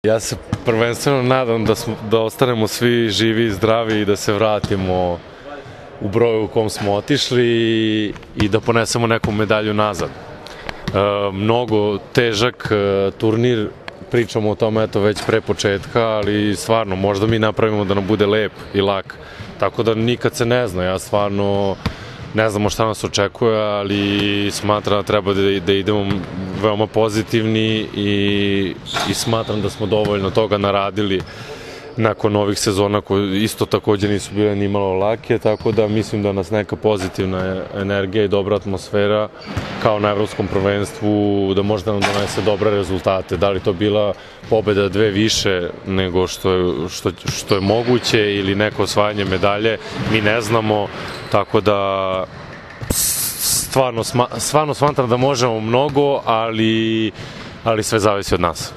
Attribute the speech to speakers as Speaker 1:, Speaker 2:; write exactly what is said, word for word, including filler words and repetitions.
Speaker 1: Ja se prvenstveno nadam da, smo, da ostanemo svi živi i zdravi i da se vratimo u broju u kom smo otišli i, i da ponesemo neku medalju nazad. E, mnogo težak e, turnir, pričamo o tome eto već pre početka, ali stvarno možda mi napravimo da nam bude lep i lak. Tako da nikad se ne zna, ja stvarno ne znamo šta nas očekuje, ali smatram da treba da, da idemo veoma pozitivni i, i smatram da smo dovoljno toga naradili nakon ovih sezona koje isto takođe nisu bile ni malo lake, tako da mislim da nas neka pozitivna energija i dobra atmosfera kao na evropskom prvenstvu da možda nam donese dobre rezultate. Da li to bila pobeda dve više nego što je, što, što je moguće ili neko osvajanje medalje, mi ne znamo, tako da stvarno, stvarno smatram da možemo mnogo, ali, ali sve zavisi od nas.